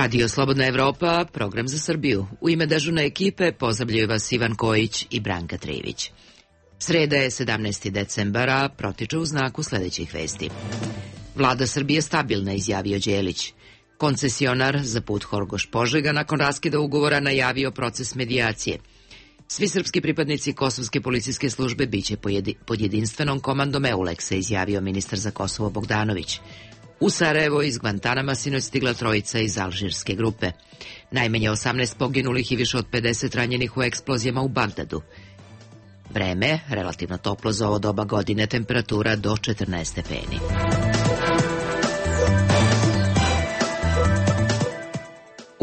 Radio Slobodna Evropa, program za Srbiju. U ime dežurne ekipe pozdravljaju vas Ivan Kojić i Branka Trivić. Sreda je 17. decembara, protiče u znaku sledećih vesti. Vlada Srbije stabilna, izjavio Đelić. Koncesionar za put Horgoš-Požega nakon raskida ugovora najavio proces medijacije. Svi srpski pripadnici Kosovske policijske službe biće pod jedinstvenom komandom EULEX-a, izjavio ministar za Kosovo Bogdanović. U Sarajevo iz Gvantanama sinoć stigla trojica iz alžirske grupe. Najmanje 18 poginulih i više od 50 ranjenih u eksplozijama u Bagdadu. Vreme, relativno toplo za ovo doba godine, temperatura do 14 stepeni.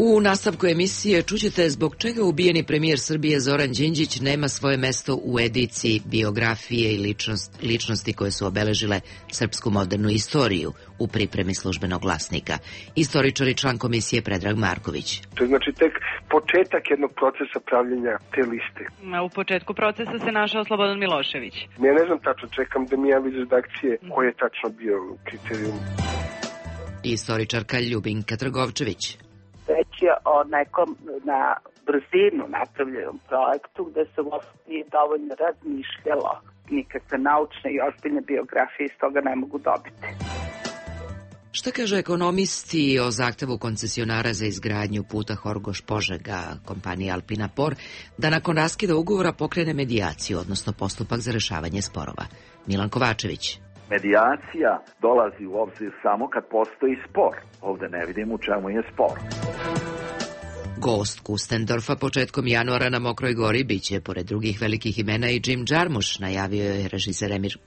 U nastavku emisije čućete zbog čega ubijeni premijer Srbije Zoran Đinđić nema svoje mesto u ediciji biografije i ličnosti koje su obeležile srpsku modernu istoriju u pripremi Službenog glasnika. Istoričar i član komisije Predrag Marković. To je znači tek početak jednog procesa pravljenja te liste. U početku procesa se našao Slobodan Milošević. Ja ne znam tačno, čekam da mi javi iz redakcije koji je tačno bio kriterijum. Istoričarka Ljubinka Trgovčević. Već je o nekom na brzinu napravljenom projektu gde se nije dovoljno razmišljalo. Nikakve naučne i ozbiljne biografije iz toga ne mogu dobiti. Šta kaže ekonomisti o zahtevu koncesionara za izgradnju puta Horgoš-Požega kompanije Alpina Por da nakon raskida ugovora pokrene medijaciju, odnosno postupak za rešavanje sporova? Milan Kovačević. Medijacija dolazi u obzir samo kad postoji spor. Ovde ne vidim u čemu je spor. Gost Kustendorfa početkom januara na Mokroj Gori biće, pored drugih velikih imena, i Jim Jarmusch, najavio je režiser Emir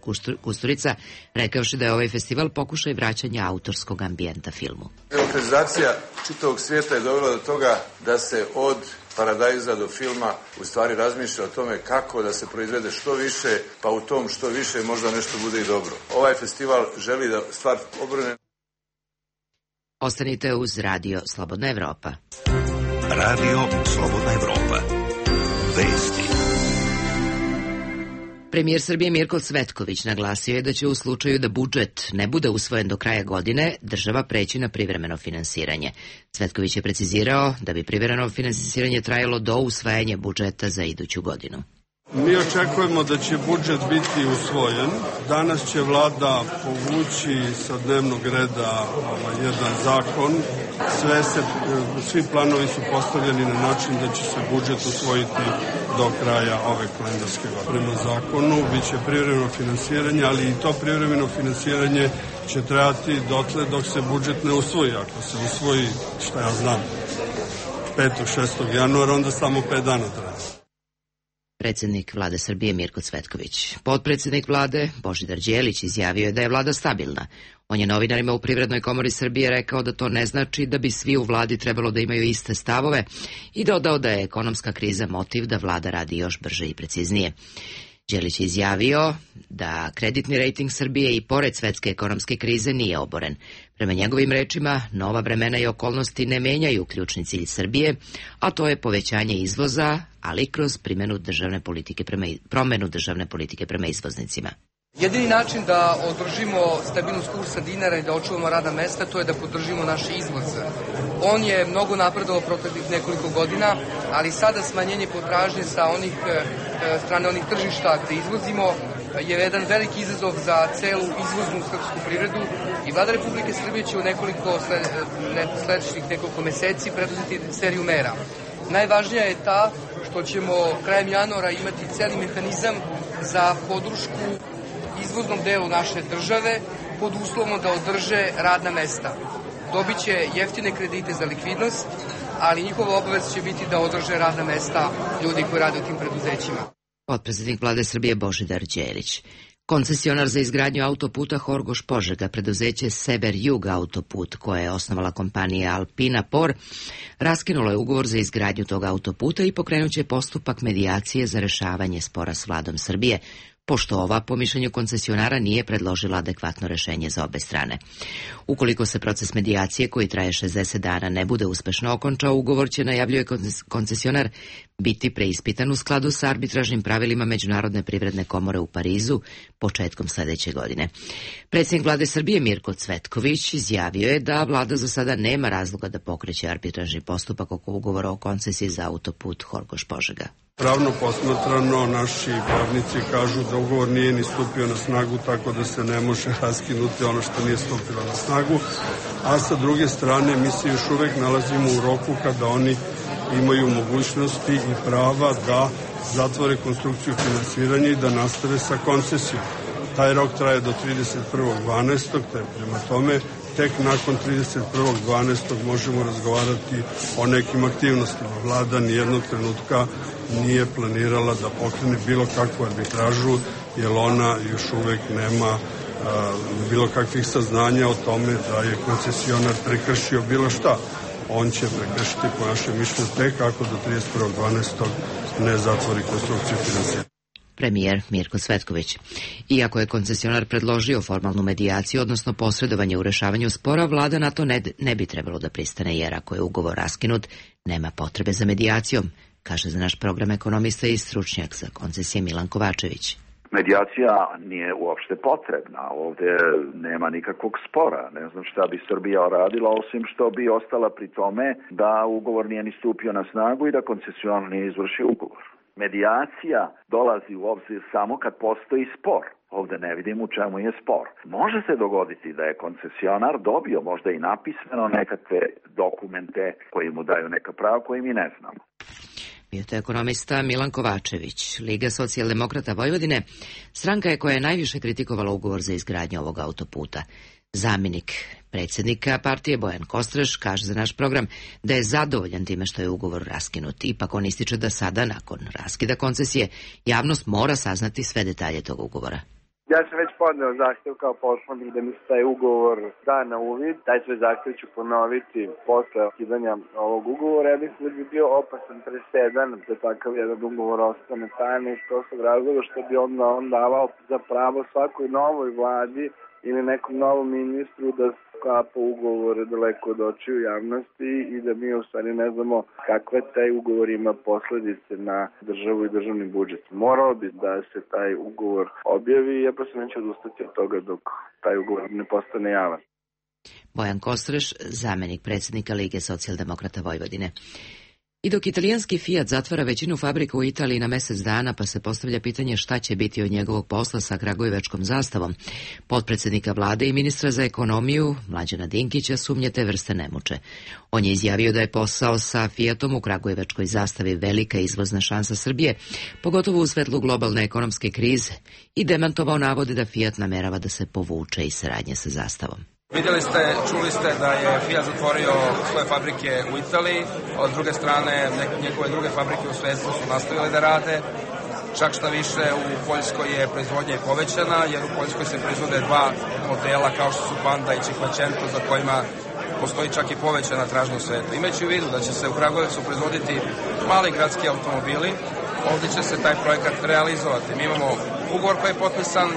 Kusturica, rekavši da je ovaj festival pokušaj vraćanja autorskog ambijenta filmu. Demokratizacija čitavog svijeta je dovela do toga da se od paradajza do filma u stvari razmišlja o tome kako da se proizvede što više, pa u tom što više možda nešto bude i dobro. Ovaj festival želi da stvar obrne. Ostanite uz Radio Slobodna Evropa. Radio Slobodna Evropa. Vesti. Premijer Srbije Mirko Cvetković naglasio je da će u slučaju da budžet ne bude usvojen do kraja godine, država preći na privremeno finansiranje. Cvetković je precizirao da bi privremeno finansiranje trajalo do usvajanja budžeta za iduću godinu. Mi očekujemo da će budžet biti usvojen. Danas će vlada povući sa dnevnog reda jedan zakon. Svi planovi su postavljeni na način da će se budžet usvojiti do kraja ove kalendarske godine. Prema zakonu biće privremeno finansiranje, ali i to privremeno finansiranje će trajati dotle dok se budžet ne usvoji. Ako se usvoji, šta ja znam, 5. 6. januara, onda samo 5 dana traja. Predsjednik vlade Srbije Mirko Cvetković. Potpredsjednik vlade Božidar Đelić izjavio je da je vlada stabilna. On je novinarima u Privrednoj komori Srbije rekao da to ne znači da bi svi u vladi trebalo da imaju iste stavove i dodao da je ekonomska kriza motiv da vlada radi još brže i preciznije. Đelić je izjavio da kreditni rejting Srbije i pored svetske ekonomske krize nije oboren. Prema njegovim rečima, nova vremena i okolnosti ne menjaju ključni cilj Srbije, a to je povećanje izvoza, ali kroz promenu državne politike prema izvoznicima. Jedini način da održimo stabilnost kursa dinara i da očuvamo radna mesta, to je da podržimo naš izvoz. On je mnogo napredovao proteklih nekoliko godina, ali sada smanjenje potražnje sa strane onih tržišta gde izvozimo je jedan veliki izazov za celu izvoznu srpsku privredu i vlada Republike Srbije će u sledećih nekoliko meseci preduzeti seriju mera. Najvažnija je ta što ćemo krajem januara imati celi mehanizam za podršku izvoznom delu naše države pod uslovom da održe radna mesta. Dobit će jeftine kredite za likvidnost, ali njihova obaveza će biti da održe radna mesta ljudi koji rade u tim preduzećima. Potpredsjednik vlade Srbije Božidar Đelić. Koncesionar za izgradnju autoputa Horgoš-Požega, preduzeće Sever Jug autoput, koje je osnovala kompanija Alpina Por, raskinulo je ugovor za izgradnju tog autoputa i pokrenut će postupak medijacije za rešavanje spora s vladom Srbije, pošto ova, po mišljenju koncesionara, nije predložila adekvatno rešenje za obe strane. Ukoliko se proces medijacije, koji traje 60 dana, ne bude uspešno okončao, ugovor će, najavljuje koncesionar, biti preispitan u skladu sa arbitražnim pravilima Međunarodne privredne komore u Parizu početkom sledeće godine. Predsjednik vlade Srbije Mirko Cvetković izjavio je da vlada za sada nema razloga da pokreće arbitražni postupak oko ugovora o koncesiji za autoput Horgoš-Požega. Pravno posmatrano, naši pravnici kažu da ugovor nije ni stupio na snagu, tako da se ne može raskinuti ono što nije stupilo na snagu, a sa druge strane mi se još uvek nalazimo u roku kada oni imaju mogućnosti i prava da zatvore konstrukciju finansiranja i da nastave sa koncesijom. Taj rok traje do 31.12. te prema tome tek nakon 31.12. možemo razgovarati o nekim aktivnostima. Vlada nijednog trenutka nije planirala da pokrene bilo kakvu arbitražu, jer ona još uvek nema bilo kakvih saznanja o tome da je koncesionar prekršio bilo šta. On će prekršiti, po našem mišljenju, tek ako do 31.12. ne zatvori konstrukciju finansiranja. Premijer Mirko Cvetković. Iako je koncesionar predložio formalnu medijaciju, odnosno posredovanje u rešavanju spora, vlada na to ne bi trebalo da pristane, jer ako je ugovor raskinut, nema potrebe za medijacijom, kaže za naš program ekonomista i stručnjak za koncesije Milan Kovačević. Medijacija nije uopšte potrebna, ovde nema nikakvog spora, ne znam šta bi Srbija radila osim što bi ostala pri tome da ugovor nije ni stupio na snagu i da koncesionar nije izvršio ugovor. Medijacija dolazi u obzir samo kad postoji spor. Ovde ne vidim u čemu je spor. Može se dogoditi da je koncesionar dobio možda i napismeno nekakve dokumente koji mu daju neka prava koje mi ne znamo. Bio to ekonomista Milan Kovačević. Liga socijaldemokrata Vojvodine stranka je koja je najviše kritikovala ugovor za izgradnju ovog autoputa. Zamjenik predsjednika partije Bojan Kostreš kaže za naš program da je zadovoljan time što je ugovor raskinut. Ipak on ističe da sada, nakon raskida koncesije, javnost mora saznati sve detalje tog ugovora. Ja sam već podneo zahtev kao poslanik da mi se taj ugovor da na uvid. Taj sve zahtev ću ponoviti posle ukidanja ovog ugovora. Ja mislim da bi bio opasan presedan da takav jedan ugovor ostane tajna iz prostog razloga što bi on davao za pravo svakoj novoj vladi ili nekom novom ministru da sklapa ugovore daleko od očiju javnosti i da mi u stvari ne znamo kakve taj ugovor ima posledice na državu i državni budžet. Morao bi da se taj ugovor objavi i ja prosto neću odustati od toga dok taj ugovor ne postane javan. Bojan Kostreš, zamjenik predsjednika Lige socijaldemokrata Vojvodine. I dok italijanski Fiat zatvara većinu fabrika u Italiji na mesec dana, pa se postavlja pitanje šta će biti od njegovog posla sa kragujevačkom zastavom, potpredsjednika vlade i ministra za ekonomiju Mlađana Dinkića sumnje te vrste ne muče. On je izjavio da je posao sa Fiatom u kragujevačkoj zastavi velika izvozna šansa Srbije, pogotovo u svetlu globalne ekonomske krize, i demantovao navode da Fiat namerava da se povuče iz saradnje sa zastavom. Vidjeli ste, čuli ste da je Fiat zatvorio svoje fabrike u Italiji, a s druge strane njegove druge fabrike u svetu su nastavile da rade. Čak šta više, u Poljskoj je proizvodnja povećana, jer u Poljskoj se proizvode dva modela kao što su Panda i Cinquecento, za kojima postoji čak i povećana tražnja u svetu. Imajući u vidu da će se u Kragujevcu proizvoditi mali gradski automobili, ovdje će se taj projekat realizovati. Mi imamo ugovor koji je potpisan.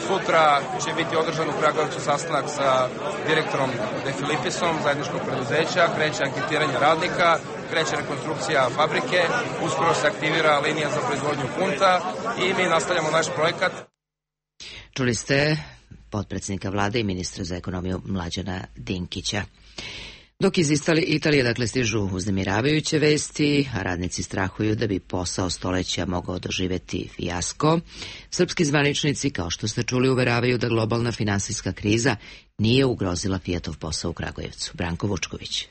Sutra će biti održan u Kragujevcu sastanak sa direktorom De Filipisom, zajedničkog preduzeća, kreće anketiranje radnika, kreće rekonstrukcija fabrike, uskoro se aktivira linija za proizvodnju punta i mi nastavljamo naš projekat. Čuli ste potpredsjednika vlade i ministra za ekonomiju Mlađana Dinkića. Dok iz Italije stižu uznemiravajuće vesti, a radnici strahuju da bi posao stoleća mogao doživjeti fijasko, srpski zvaničnici, kao što ste čuli, uveravaju da globalna finansijska kriza nije ugrozila Fiatov posao u Kragujevcu. Branko Vučković.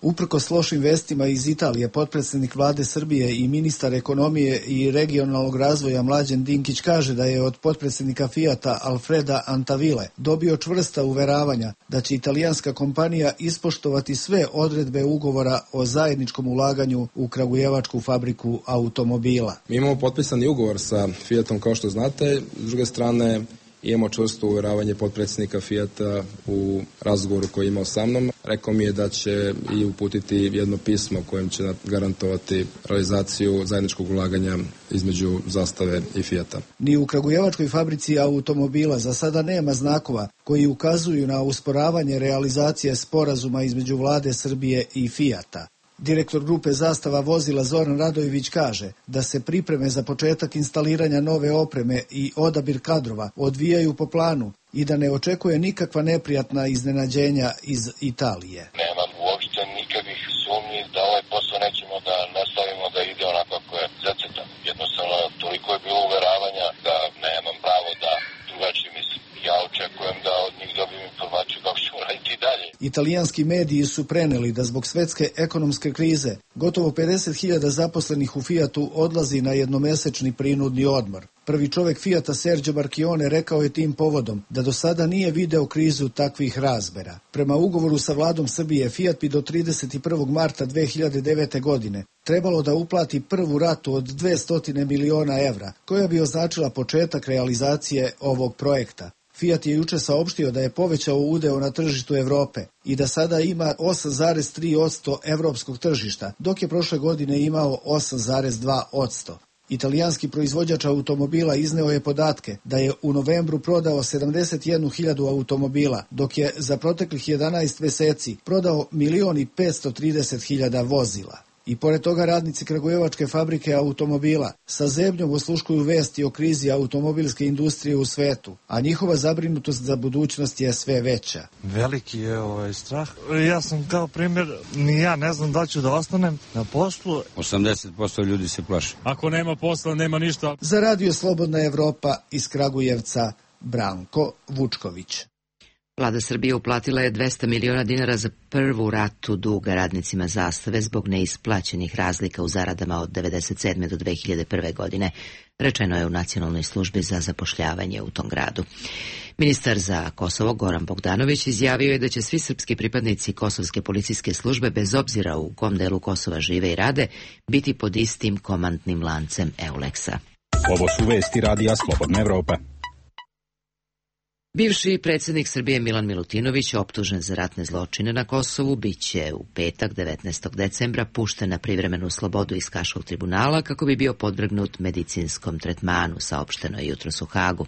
Uprkos lošim vestima iz Italije, potpredsjednik vlade Srbije i ministar ekonomije i regionalnog razvoja Mlađan Dinkić kaže da je od potpredsjednika Fiata Alfreda Antavile dobio čvrsta uveravanja da će italijanska kompanija ispoštovati sve odredbe ugovora o zajedničkom ulaganju u kragujevačku fabriku automobila. Mi imamo potpisani ugovor sa Fiatom, kao što znate. S druge strane, Imamo čvrsto uvjeravanje potpredsjednika Fijata u razgovoru koji je imao sa mnom. Rekao mi je da će i uputiti jedno pismo kojim će garantovati realizaciju zajedničkog ulaganja između Zastave i Fijata. Ni u kragujevačkoj fabrici automobila za sada nema znakova koji ukazuju na usporavanje realizacije sporazuma između vlade Srbije i Fijata. Direktor grupe Zastava vozila Zoran Radojević kaže da se pripreme za početak instaliranja nove opreme i odabir kadrova odvijaju po planu i da ne očekuje nikakva neprijatna iznenađenja iz Italije. Nemam uopšte nikakvih sumnji da ovaj posao nećemo da nastavimo da ide onako kako je zacrtan. Jednostavno, toliko je bilo uveravanja da nemam pravo da drugačije mislim. Ja očekujem da od njih dobijem informaciju kako ćemo raditi i dalje. Italijanski mediji su preneli da zbog svetske ekonomske krize gotovo 50.000 zaposlenih u Fijatu odlazi na jednomesečni prinudni odmor. Prvi čovek Fijata Sergio Marchione rekao je tim povodom da do sada nije video krizu takvih razmera. Prema ugovoru sa vladom Srbije, Fijat bi do 31. marta 2009. godine trebalo da uplati prvu ratu od 200 miliona evra, koja bi označila početak realizacije ovog projekta. Fijat je juče saopštio da je povećao udeo na tržištu Evrope i da sada ima 8,3% evropskog tržišta, dok je prošle godine imao 8,2%. Italijanski proizvođač automobila izneo je podatke da je u novembru prodao 71.000 automobila, dok je za proteklih 11 meseci prodao 1.530.000 vozila. I pored toga radnici kragujevačke fabrike automobila sa zebnjom osluškuju vesti o krizi automobilske industrije u svetu, a njihova zabrinutost za budućnost je sve veća. Veliki je strah. Ja sam kao primjer, ni ja ne znam da ću da ostanem na poslu. 80% ljudi se plaši. Ako nema posla, nema ništa. Za Radio Slobodna Evropa iz Kragujevca, Branko Vučković. Vlada Srbije uplatila je 200 miliona dinara za prvu ratu duga radnicima Zastave zbog neisplaćenih razlika u zaradama od 1997. do 2001. godine, rečeno je u Nacionalnoj službi za zapošljavanje u tom gradu. Ministar za Kosovo Goran Bogdanović izjavio je da će svi srpski pripadnici kosovske policijske službe, bez obzira u kom delu Kosova žive i rade, biti pod istim komandnim lancem EULEX-a. Ovo su vesti Radija Slobodna Evropa. Bivši predsjednik Srbije Milan Milutinović, optužen za ratne zločine na Kosovu, biće u petak 19. decembra pušten na privremenu slobodu iz Haškog tribunala kako bi bio podvrgnut medicinskom tretmanu, saopšteno je jutros u Hagu.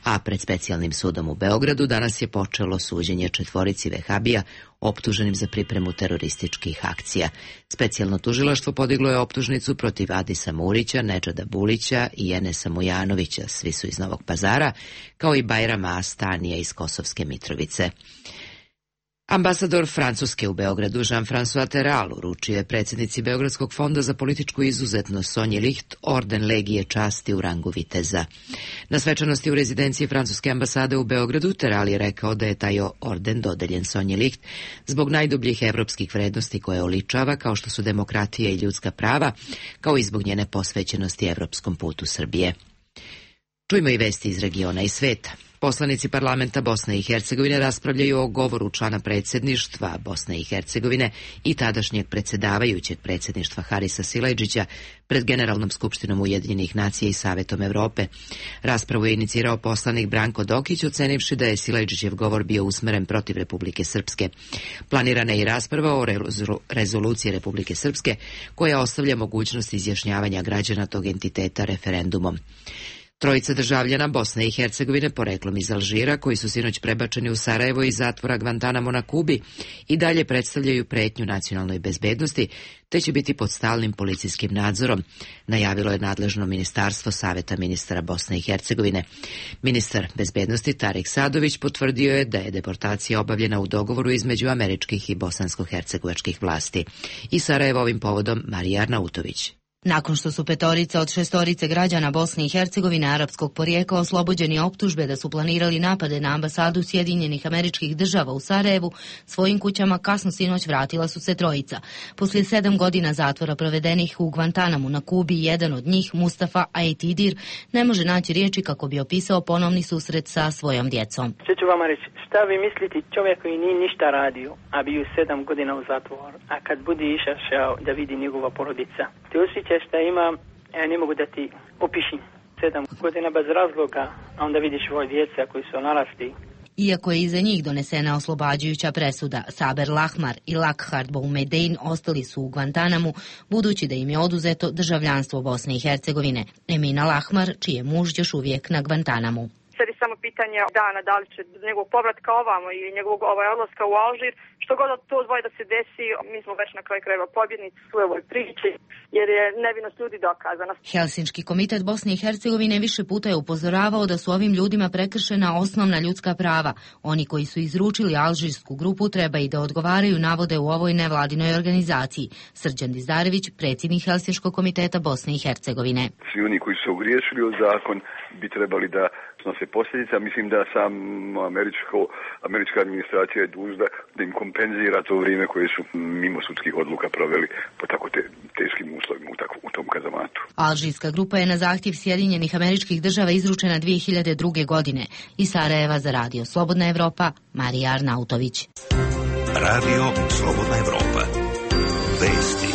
A pred specijalnim sudom u Beogradu danas je počelo suđenje 4 vehabija optuženim za pripremu terorističkih akcija. Specijalno tužilaštvo podiglo je optužnicu protiv Adisa Murića, Nedžada Bulića i Enesa Mujanovića, svi su iz Novog Pazara, kao i Bajrama Astanija iz Kosovske Mitrovice. Ambasador Francuske u Beogradu Jean-François Terral uručio je predsjednici Beogradskog fonda za političku izuzetnost Sonji Licht orden Legije časti u rangu viteza. Na svečanosti u rezidenciji francuske ambasade u Beogradu Terral je rekao da je taj orden dodeljen Sonji Licht zbog najdubljih evropskih vrednosti koje oličava, kao što su demokratija i ljudska prava, kao i zbog njene posvećenosti evropskom putu Srbije. Čujmo i vesti iz regiona i sveta. Poslanici parlamenta Bosne i Hercegovine raspravljaju o govoru člana predsjedništva Bosne i Hercegovine i tadašnjeg predsjedavajućeg predsjedništva Harisa Silajdžića pred Generalnom skupštinom Ujedinjenih nacija i Savetom Evrope. Raspravu je inicirao poslanik Branko Dokić, ocenivši da je Silajdžićev govor bio usmeren protiv Republike Srpske. Planirana je i rasprava o rezoluciji Republike Srpske, koja ostavlja mogućnost izjašnjavanja građana tog entiteta referendumom. Trojica državljana Bosne i Hercegovine poreklom iz Alžira, koji su sinoć prebačeni u Sarajevo iz zatvora Guantanamo na Kubi, i dalje predstavljaju pretnju nacionalnoj bezbednosti, te će biti pod stalnim policijskim nadzorom, najavilo je nadležno ministarstvo Saveta ministara Bosne i Hercegovine. Ministar bezbednosti Tarik Sadović potvrdio je da je deportacija obavljena u dogovoru između američkih i bosansko-hercegovačkih vlasti. I Sarajevo ovim povodom Marija Arnautović. Nakon što su 5 od 6 građana Bosne i Hercegovine arapskog porijekla oslobođeni optužbe da su planirali napade na ambasadu Sjedinjenih Američkih Država u Sarajevu, svojim kućama kasno sinoć vratila su se trojica. Poslije 7 godina zatvora provedenih u Guantanamu na Kubi, jedan od njih, Mustafa Aitidir, ne može naći riječi kako bi opisao ponovni susret sa svojom djecom. Što ću vama reći? Šta vi mislite, čovjek koji nije ništa radio, a bio 7 godina u zatvoru, a kad bude išao da vidi njegova porodica, ti osjećaš šta ima, ja ne mogu da ti opišim. 7 godina bez razloga, a onda vidiš svoje djeca koji su narasli. Iako je iza njih donesena oslobađajuća presuda, Saber Lahmar i Lakhard Boumedein ostali su u Guantanamu, budući da im je oduzeto državljanstvo Bosne i Hercegovine. Emina Lahmar, čiji je muž još uvijek na Guantanamu. Sad je samo pitanje dana da li će njegovog povratka ovamo ili njegovog odlaska u Alžir. Što god to dvoje da se desi, mi smo već na kraju krajeva pobjednici u ovoj priči, jer je nevinost ljudi dokazana. Helsinški komitet Bosne i Hercegovine više puta je upozoravao da su ovim ljudima prekršena osnovna ljudska prava. Oni koji su izručili alžirsku grupu treba i da odgovaraju, navode u ovoj nevladinoj organizaciji. Srđan Dizdarević, predsjednik Helsinškog komiteta Bosne i Hercegovine. Svi oni koji su ogriješili o zakon bi trebali da snose posljedice. Mislim da sam američka administracija je dužna da im kompenzira to vrijeme koje su mimo sudskih odluka proveli po tako teškim uslovima u tom kazamatu. Alžirska grupa je na zahtjev Sjedinjenih Američkih Država izručena 2002. godine. Iz Sarajeva za Radio Slobodna Evropa, Marija Arnautović. Radio Slobodna Evropa. Vesti.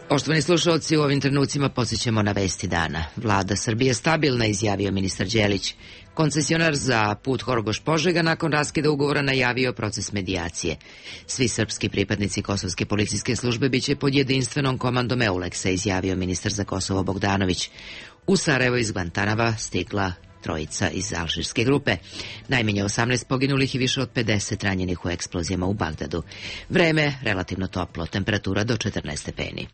Poštovani slušalci, u ovim trenucima podsjećamo na vesti dana. Vlada Srbije stabilna, izjavio ministar Đelić. Koncesionar za put Horgoš-Požega nakon raskida ugovora najavio proces medijacije. Svi srpski pripadnici Kosovske policijske službe biće pod jedinstvenom komandom EULEX-a, izjavio ministar za Kosovo Bogdanović. U Sarajevo iz Guantanama stigla trojica iz alžirske grupe. Najmanje 18 poginulih i više od 50 ranjenih u eksplozijama u Bagdadu. Vreme relativno toplo, temperatura do 14 stepeni.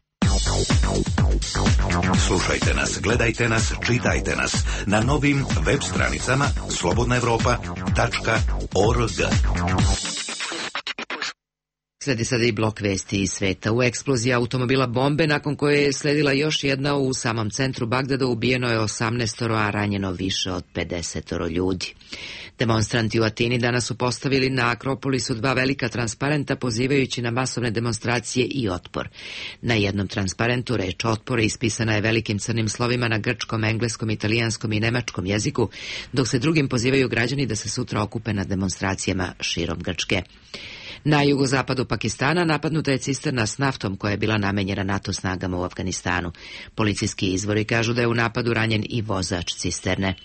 Slušajte nas, gledajte nas, čitajte nas na novim web stranicama slobodnaevropa.org. Sledi sada i blok vesti iz sveta. U eksploziji automobila bombe, nakon koje je sledila još jedna u samom centru Bagdada, ubijeno je 18, a ranjeno više od 50 ljudi. Demonstranti u Atini danas su postavili na Akropolisu 2 velika transparenta pozivajući na masovne demonstracije i otpor. Na jednom transparentu reč otpor ispisana je velikim crnim slovima na grčkom, engleskom, italijanskom i nemačkom jeziku, dok se drugim pozivaju građani da se sutra okupe na demonstracijama širom Grčke. Na jugozapadu Pakistana napadnuta je cisterna s naftom koja je bila namenjena NATO snagama u Afganistanu. Policijski izvori kažu da je u napadu ranjen i vozač cisterne.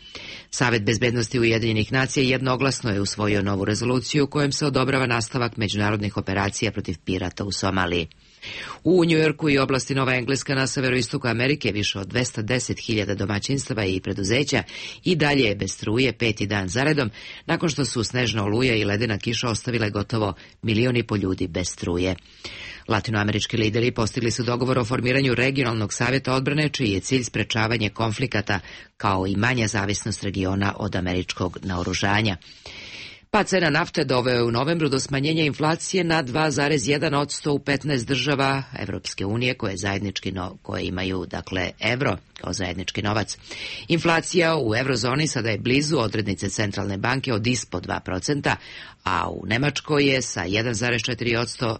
Savet bezbednosti Ujedinjenih nacija jednoglasno je usvojio novu rezoluciju kojom se odobrava nastavak međunarodnih operacija protiv pirata u Somaliji. U Njujorku i oblasti Nova Engleska na severoistoku Amerike više od 210.000 domaćinstava i preduzeća i dalje je bez struje 5. dan zaredom, nakon što su snežna oluja i ledena kiša ostavile gotovo 1,5 miliona ljudi bez struje. Latinoamerički lideri postigli su dogovor o formiranju regionalnog savjeta odbrane, čiji je cilj sprečavanje konflikata, kao i manja zavisnost regiona od američkog naoružanja. Pad cena nafte doveo je u novembru do smanjenja inflacije na 2,1% u 15 država Evropske unije koje imaju evro kao zajednički novac. Inflacija u eurozoni sada je blizu odrednice centralne banke od ispod 2%, a u Nemačkoj je sa 1,4%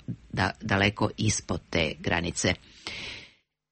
daleko ispod te granice.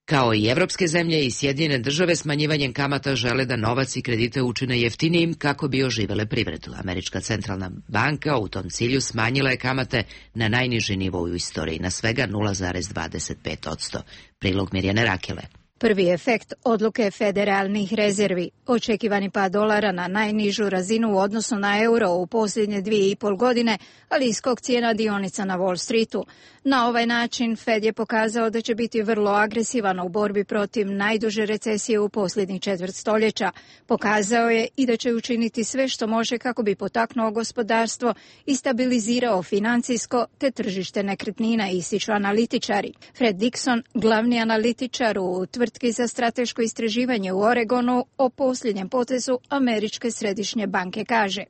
Kao i evropske zemlje i Sjedinjene države, smanjivanjem kamata žele da novac i kredite učine jeftinijim kako bi oživele privredu. Američka centralna banka u tom cilju smanjila je kamate na najniži nivo u istoriji, na svega 0,25%. Prilog Mirjane Rakele. Prvi efekt odluke federalnih rezervi, očekivani pad dolara na najnižu razinu u odnosu na euro u posljednje 2,5 godine, ali i skok cijena dionica na Wall Streetu. Na ovaj način Fed je pokazao da će biti vrlo agresivan u borbi protiv najduže recesije u posljednjih četvrt stoljeća. Pokazao je i da će učiniti sve što može kako bi potaknuo gospodarstvo i stabilizirao financijsko te tržište nekretnina, ističu analitičari. Fred Dixon, glavni analitičar u tvrtki za strateško istraživanje u Oregonu, o posljednjem potezu Američke središnje banke kaže: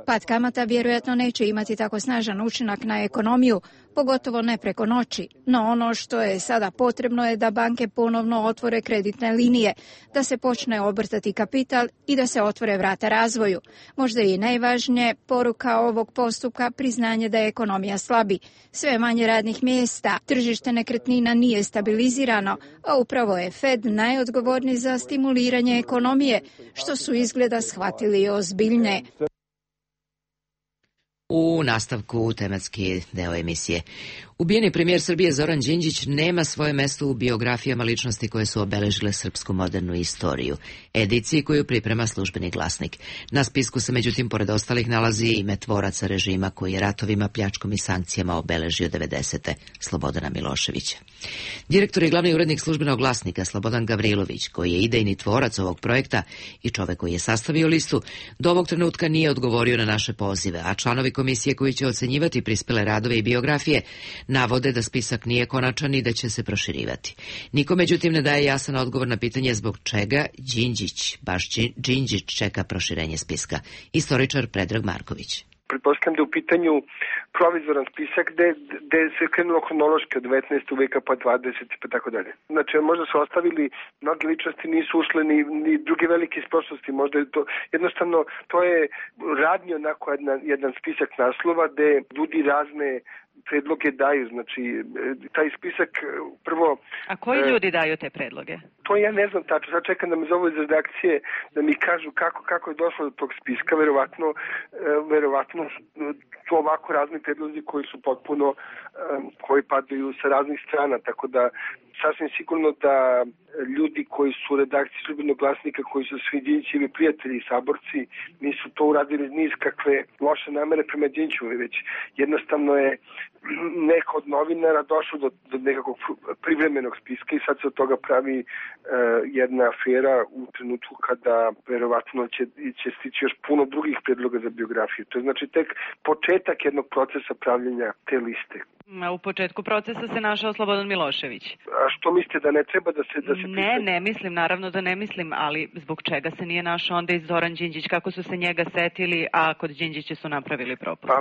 pad kamata vjerojatno neće imati tako snažan učinak na ekonomiju, pogotovo ne preko noći. No ono što je sada potrebno je da banke ponovno otvore kreditne linije, da se počne obrtati kapital i da se otvore vrata razvoju. Možda i najvažnije poruka ovog postupka priznanje da je ekonomija slabi. Sve manje radnih mjesta, tržište nekretnina nije stabilizirano, a upravo je Fed najodgovorniji za stimuliranje ekonomije, što su izgleda shvatili ozbiljne. U nastavku tematski deo emisije. Ubijeni premijer Srbije Zoran Đinđić nema svoje mesto u biografijama ličnosti koje su obeležile srpsku modernu istoriju, ediciji koju priprema Službeni glasnik. Na spisku se međutim pored ostalih nalazi ime tvoraca režima koji je ratovima, pljačkom i sankcijama obeležio 90. Slobodana Miloševića. Direktor i glavni urednik Službenog glasnika Slobodan Gavrilović, koji je idejni tvorac ovog projekta i čovek koji je sastavio listu, do ovog trenutka nije odgovorio na naše pozive, a članovi komisije koji će ocenjivati prispele radove i biografije navode da spisak nije konačan i da će se proširivati. Niko međutim ne daje jasan odgovor na pitanje zbog čega baš Đinđić čeka proširenje spiska. Istoričar Predrag Marković. Pretpostavljam da je u pitanju provizoran spisak gde se krenulo hronološki od 19. veka pa 20. pa tako dalje. Znači, možda su ostavili, mnogi ličnosti nisu ušle ni druge velike iz prošlosti, možda je to, jednostavno, to je radnje onako jedan spisak naslova gde ljudi razne predloge daju, znači taj spisak prvo... A koji ljudi daju te predloge? To ja ne znam tačno, sad čekam da me zovu iz redakcije da mi kažu kako je došlo do tog spiska, verovatno to ovako razni predlozi koji su potpuno, koji padaju sa raznih strana, tako da sasvim sigurno da ljudi koji su u redakciji Službenog glasnika, koji su svi Đinđićevi prijatelji i saborci, nisu to uradili niz kakve loše namere prema Đinđiću, već jednostavno je neko od novinara došlo do nekakvog privremenog spiska i sad se od toga pravi jedna afera u trenutku kada verovatno će stići još puno drugih predloga za biografiju. To je znači tek početak jednog procesa pravljenja te liste. U početku procesa se našao Slobodan Milošević. A što mislite da ne treba da se Ne mislim, naravno da ne mislim, ali zbog čega se nije našao onda i Zoran Đinđić, kako su se njega setili, a kod Đinđića su napravili propust? Pa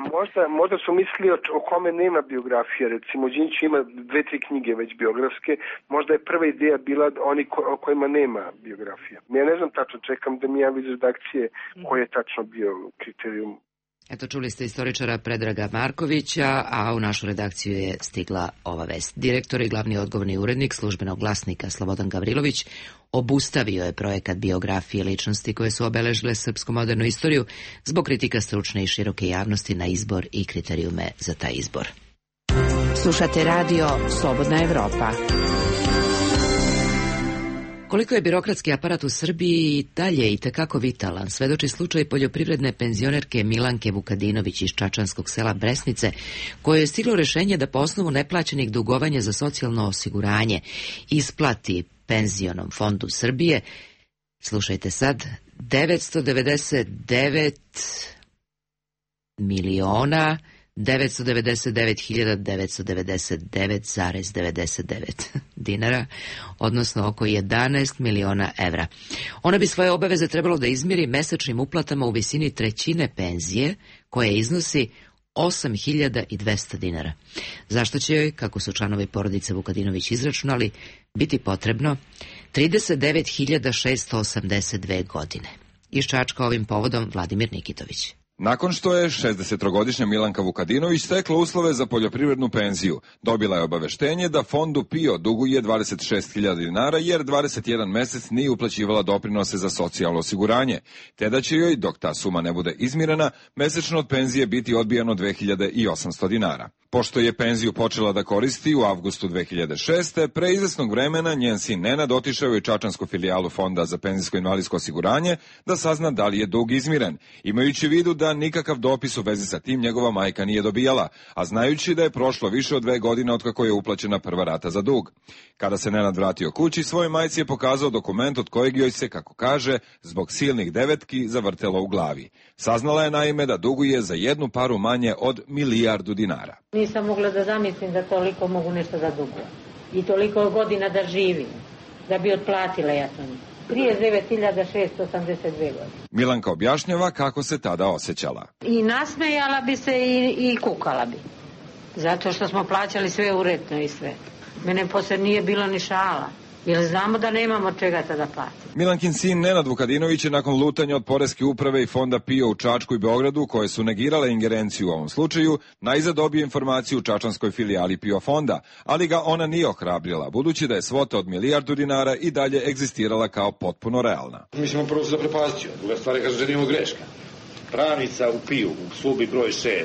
možda su mislili o kome nema biografije, recimo Đinđić ima 2-3 knjige već biografske, možda je prva ideja bila oni o kojima nema biografija. Ja ne znam tačno, čekam da mi javi iz redakcije koji je tačno bio kriterijum. Eto, čuli ste istoričara Predraga Markovića, a u našu redakciju je stigla ova vest. Direktor i glavni odgovorni urednik Službenog glasnika Slobodan Gavrilović obustavio je projekat biografije ličnosti koje su obeležile srpsku modernu istoriju zbog kritika stručne i široke javnosti na izbor i kriterijume za taj izbor. Slušate radio Slobodna Evropa. Koliko je birokratski aparat u Srbiji dalje i tekako vitalan, svedoči slučaj poljoprivredne penzionerke Milanke Vukadinović iz čačanskog sela Bresnice, koje je stiglo rešenje da po osnovu neplaćenih dugovanja za socijalno osiguranje isplati Penzionom fondu Srbije, slušajte sad, 999.999.999 dinara, odnosno oko 11 miliona evra. Ona bi svoje obaveze trebalo da izmiri mesečnim uplatama u visini trećine penzije, koja iznosi 8.200 dinara. Zašto će joj, kako su članovi porodice Vukadinović izračunali, biti potrebno 39.682 godine. Iz Čačka ovim povodom Vladimir Nikitović. Nakon što je 63-godišnja Milanka Vukadinović stekla uslove za poljoprivrednu penziju, dobila je obaveštenje da fondu PIO duguje 26.000 dinara jer 21 mesec nije uplaćivala doprinose za socijalno osiguranje, te da će joj, dok ta suma ne bude izmirena, mesečno od penzije biti odbijano 2.800 dinara. Pošto je penziju počela da koristi u avgustu 2006. pre izvesnog vremena njen sin Nenad otišao je u čačansku filijalu Fonda za penzijsko-invalidsko osiguranje da sazna da li je dug izmiren, imajući u vidu da nikakav dopis u vezi sa tim njegova majka nije dobijala, a znajući da je prošlo više od 2 godine otkako je uplaćena prva rata za dug. Kada se Nenad vratio kući, svojoj majci je pokazao dokument od kojeg joj se, kako kaže, zbog silnih devetki zavrtelo u glavi. Saznala je naime da duguje za jednu paru manje od 1 milijardu dinara. Nisam mogla da zamislim da toliko mogu nešto da dugujem i toliko godina da živim, da bi otplatila ja sam. 39.682 godine. Milanka objašnjava kako se tada osjećala. I nasmejala bi se i kukala bi. Zato što smo plaćali sve uredno i sve. Mene posle nije bilo ni šala. Jer znamo da nemamo čega tada platiti. Milankin sin Nenad Vukadinović je nakon lutanja od Poreske uprave i Fonda PIO u Čačku i Beogradu, koje su negirale ingerenciju u ovom slučaju, najzad dobio informaciju u čačanskoj filijali PIO fonda, ali ga ona nije ohrabrila, budući da je svota od 1 milijardu dinara i dalje egzistirala kao potpuno realna. Mi smo prvo se zaprepastio, druga stvar je kaže da nije greška. Pravnica u PIO, u službi broj 6,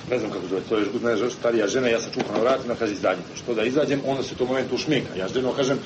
ne znam kako zove, to je ne, starija žena, ja sam čukao na vratima, kaže izađite. Što da izađem, onda se u tom momentu ušminka. Ja ženo kažem,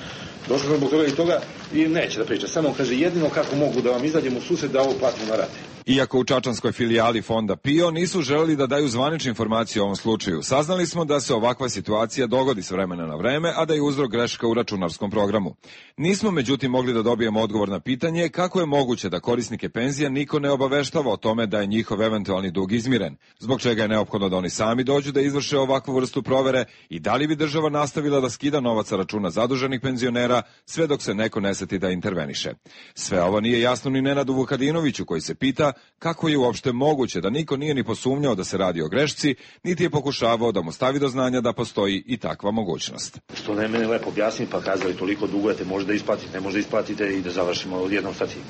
došao sam zbog toga i toga i neće da priča. Samo kaže jedino kako mogu da vam izađem u susret da ovo platimo na rate. Iako u čačanskoj filijali fonda PIO nisu želeli da daju zvanične informacije o ovom slučaju, saznali smo da se ovakva situacija dogodi s vremena na vreme, a da je uzrok greška u računarskom programu. Nismo međutim mogli da dobijemo odgovor na pitanje kako je moguće da korisnike penzija niko ne obaveštava o tome da je njihov eventualni dug izmiren, zbog čega je neophodno da oni sami dođu da izvrše ovakvu vrstu provere i da li bi država nastavila da skida novac sa računa zaduženih penzionera sve dok se neko ne seti da interveniše. Sve ovo nije jasno ni Nenadu Vukadinoviću koji se pita kako je uopšte moguće da niko nije ni posumnjao da se radi o grešci, niti je pokušavao da mu stavi do znanja da postoji i takva mogućnost. Što ne mene lepo objasniti pa kazali toliko dugujete, može da isplatite, ne može da isplatite i da završimo odjednom sa tim.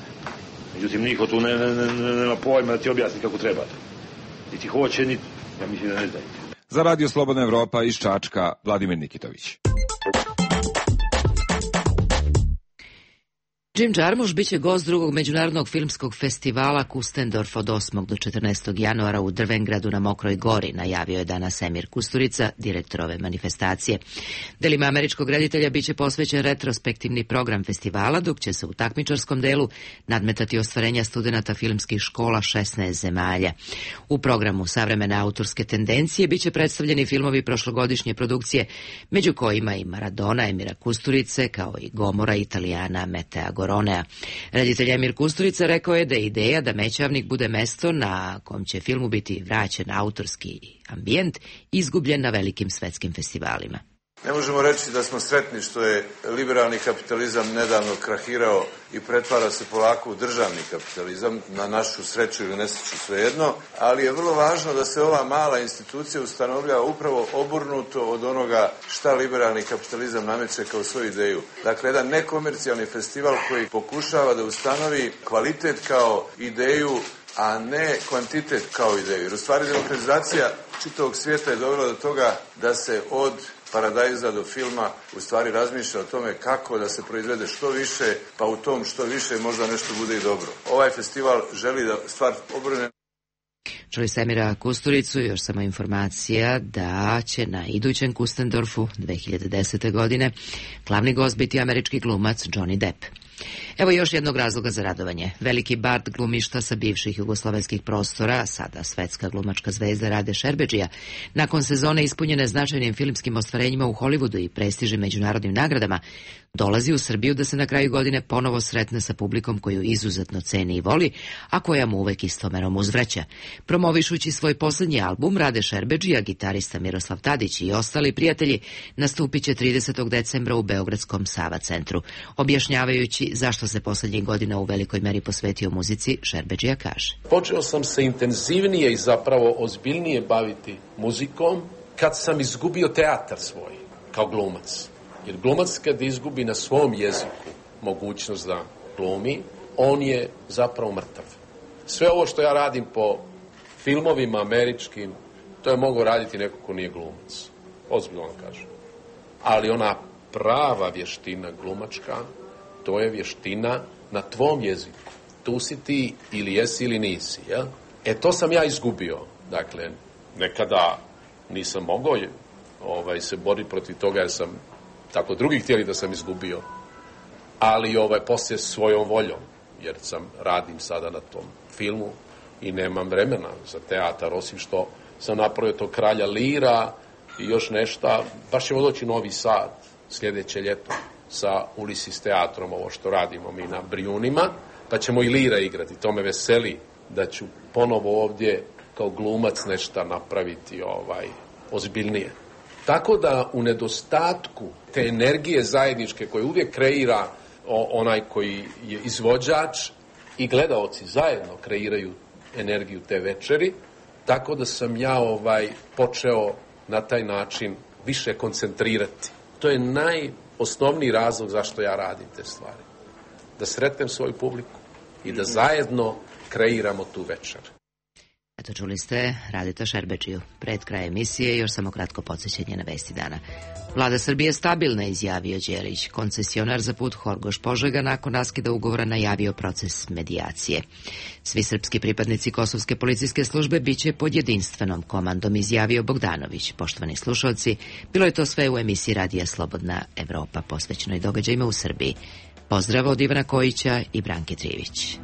Međutim, niko tu nema pojma da ti objasni kako treba. Niti hoće, niti, ja mislim da ne znaju. Za Radio Slobodna Evropa iz Čačka, Vladimir Nikitović. Jim Jarmusch biće gost drugog međunarodnog filmskog festivala Kustendorf od 8. do 14. januara u Drvengradu na Mokroj gori, najavio je danas Emir Kusturica, direktor ove manifestacije. Delima američkog reditelja biće posvećen retrospektivni program festivala, dok će se u takmičarskom delu nadmetati ostvarenja studenata filmskih škola 16 zemalja. U programu savremene autorske tendencije biće predstavljeni filmovi prošlogodišnje produkcije, među kojima i Maradona Emira Kusturice, kao i Gomora Italijana Metea Goronea. Reditelj Emir Kusturica rekao je da je ideja da Mećavnik bude mesto na kom će filmu biti vraćen autorski ambijent izgubljen na velikim svetskim festivalima. Ne možemo reći da smo sretni što je liberalni kapitalizam nedavno krahirao i pretvara se polako u državni kapitalizam, na našu sreću ili nesreću svejedno, ali je vrlo važno da se ova mala institucija ustanovlja upravo obrnuto od onoga šta liberalni kapitalizam nameće kao svoju ideju. Dakle, jedan nekomercijalni festival koji pokušava da ustanovi kvalitet kao ideju, a ne kvantitet kao ideju. Jer u stvari demokratizacija čitavog svijeta je dovela do toga da se od Paradajza do filma u stvari razmišlja o tome kako da se proizvede što više, pa u tom što više možda nešto bude i dobro. Ovaj festival želi da stvar obrne. Čuli ste Emira Kusturicu, još samo informacija da će na idućem Kustendorfu 2010. godine glavni gost biti američki glumac Johnny Depp. Evo još jednog razloga za radovanje. Veliki bard glumišta sa bivših jugoslovenskih prostora, sada svetska glumačka zvezda Rade Šerbedžija, nakon sezone ispunjene značajnim filmskim ostvarenjima u Hollywoodu i prestižnim međunarodnim nagradama, dolazi u Srbiju da se na kraju godine ponovo sretne sa publikom koju izuzetno ceni i voli, a koja mu uvek istomerom uzvraća. Promovišući svoj posljednji album, Rade Šerbedžija, gitarista Miroslav Tadić i ostali prijatelji nastupit će 30. decembra u Beogradskom Sava centru. Objašnjavajući zašto se posljednjih godina u velikoj meri posvetio muzici, Šerbedžija kaže: Počeo sam se intenzivnije i zapravo ozbiljnije baviti muzikom kad sam izgubio teatar svoj kao glumac. Jer glumac kad izgubi na svom jeziku mogućnost da glumi, on je zapravo mrtav. Sve ovo što ja radim po filmovima američkim, to je mogao raditi neko ko nije glumac. Ozbiljno vam kažem. Ali ona prava vještina glumačka, to je vještina na tvom jeziku. Tu si ti ili jesi ili nisi, jel? To sam ja izgubio. Dakle, nekada nisam mogao se boriti protiv toga jer sam tako drugi htjeli da sam izgubio. Ali poslije svojom voljom, jer radim sada na tom filmu i nemam vremena za teatar, osim što sam napravio to Kralja Lira i još nešto. Baš ćemo doći u Novi Sad sljedeće ljeto sa Ulisis teatrom, ovo što radimo mi na Brijunima, pa ćemo i Lira igrati. To me veseli da ću ponovo ovdje kao glumac nešto napraviti ozbiljnije. Tako da u nedostatku te energije zajedničke koje uvijek kreira onaj koji je izvođač i gledaoci zajedno kreiraju energiju te večeri, tako da sam ja počeo na taj način više koncentrirati. To je najosnovniji razlog zašto ja radim te stvari. Da sretnem svoju publiku i da zajedno kreiramo tu večer. Eto, čuli ste Radeta Šerbedžiju. Pred kraj emisije još samo kratko podsjećanje na vesti dana. Vlada Srbije stabilna, izjavio Đelić. Koncesionar za put Horgoš-Požega nakon raskida ugovora najavio proces medijacije. Svi srpski pripadnici kosovske policijske službe biće pod jedinstvenom komandom, izjavio Bogdanović. Poštovani slušalci, bilo je to sve u emisiji Radija Slobodna Evropa, posvećenoj događajima u Srbiji. Pozdrav od Ivana Kojića i Branke Trivić.